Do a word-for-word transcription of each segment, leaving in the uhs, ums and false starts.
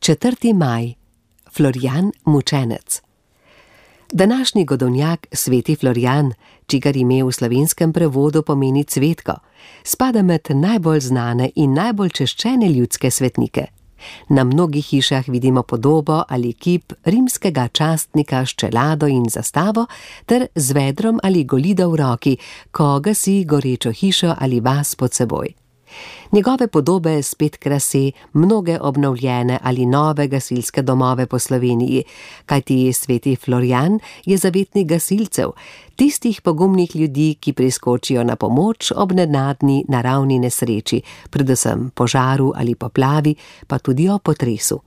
četrti maj. Florjan mučenec. Današnji godovnjak sveti Florjan, čigar ime v slovenskem prevodu pomeni cvetko, spada med najbolj znane in najbolj češčene ljudske svetnike. Na mnogih hišah vidimo podobo ali kip rimskega častnika s čelado in zastavo ter z vedrom ali golido v roki, ko gasi gorečo hišo ali vas pod seboj. Njegove podobe spet krase mnoge obnovljene ali nove gasilske domove po Sloveniji, kajti sveti Florjan je zavetnik gasilcev, tistih pogumnih ljudi, ki priskočijo na pomoč ob nenadni naravni nesreči, predvsem požaru ali poplavi, pa tudi o potresu.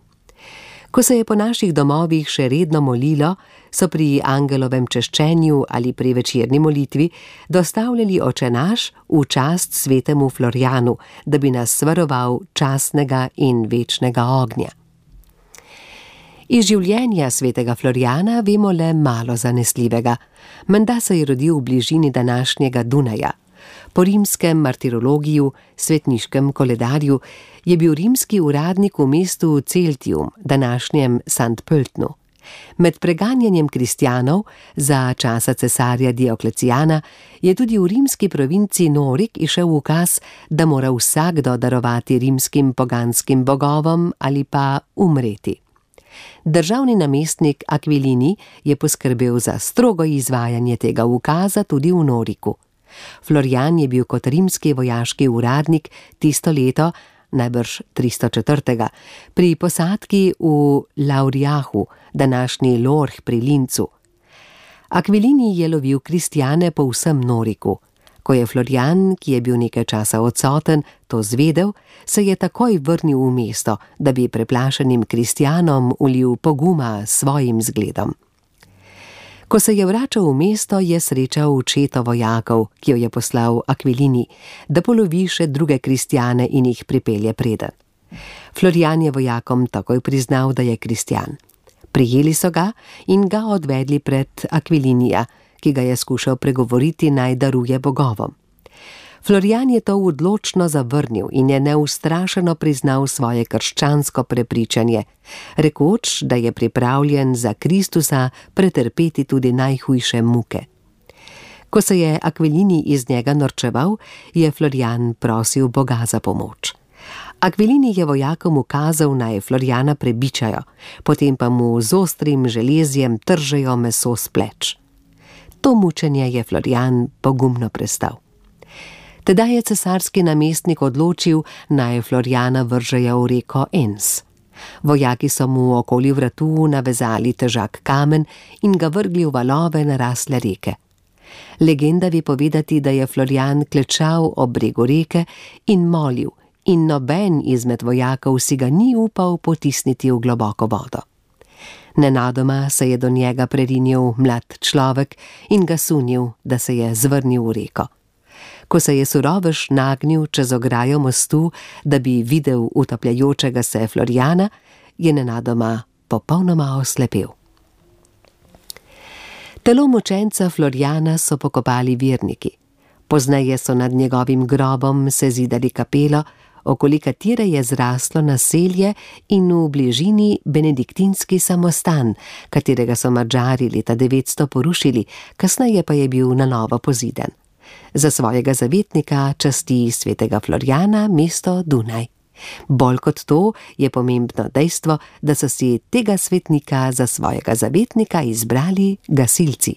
Ko se je po naših domovih še redno molilo, so pri angelovem češčenju ali pri večerni molitvi dostavljali Oče naš v čast svetemu Florjanu, da bi nas varoval častnega in večnega ognja. Iz življenja svetega Florjana vemo le malo zanesljivega. Menda se je rodil v bližini današnjega Dunaja. Po rimskem martirologiju, svetniškem koledarju, je bil rimski uradnik v mestu Celtium, današnjem Sankt Pöltnu. Med preganjanjem kristjanov za časa cesarja Dioklecijana je tudi v rimski provinci Norik išel ukaz, da mora vsakdo darovati rimskim poganskim bogovom ali pa umreti. Državni namestnik Aquilini je poskrbel za strogo izvajanje tega ukaza tudi v Noriku. Florjan je bil kot rimski vojaški uradnik tisto leto, najbrž tristo četrtega, pri posadki v Lauriahu, današnji Lorch pri Lincu. Aquilini je lovil kristjane po vsem Noriku. Ko je Florjan, ki je bil nekaj časa odsoten, to zvedel, se je takoj vrnil v mesto, da bi preplašenim kristjanom ulil poguma s svojim zgledom. Ko se je vračal v mesto, je srečal četo vojakov, ki jo je poslal Aquilini, da polovi še druge kristjane in jih pripelje preden. Florjan je vojakom takoj priznal, da je kristjan. Prijeli so ga in ga odvedli pred Aquilinija, ki ga je skušal pregovoriti, naj daruje bogovom. Florjan je to odločno zavrnil in je neustrašeno priznal svoje krščansko prepričanje, rekoč, da je pripravljen za Kristusa pretrpeti tudi najhujše muke. Ko se je Aquilini iz njega norčeval, je Florjan prosil Boga za pomoč. Aquilini je vojakom ukazal, naj Florjana prebičajo, potem pa mu z ostrim železjem tržejo meso s pleč. To mučenje je Florjan pogumno prestal. Tedaj je cesarski namestnik odločil, naj Florjana vržejo v reko Enns. Vojaki so mu okoli vratu navezali težak kamen in ga vrgli v valove narasle reke. Legenda ve povedati, da je Florjan klečal ob bregu reke in molil, in noben izmed vojakov si ga ni upal potisniti v globoko vodo. Nenadoma se je do njega prerinil mlad človek in ga sunil, da se je zvrnil v reko. Ko se je surovež nagnil čez ograjo mostu, da bi videl utapljajočega se Florjana, je nenadoma popolnoma oslepel. Telo mučenca Florjana so pokopali verniki. Pozneje so nad njegovim grobom sezidali kapelo, okoli katere je zraslo naselje in v bližini benediktinski samostan, katerega so Madžari leta devetsto porušili, kasneje pa je bil na novo pozidan. Za svojega zavetnika časti svetega Florjana mesto Dunaj. Bolj kot to je pomembno dejstvo, da so si tega svetnika za svojega zavetnika izbrali gasilci.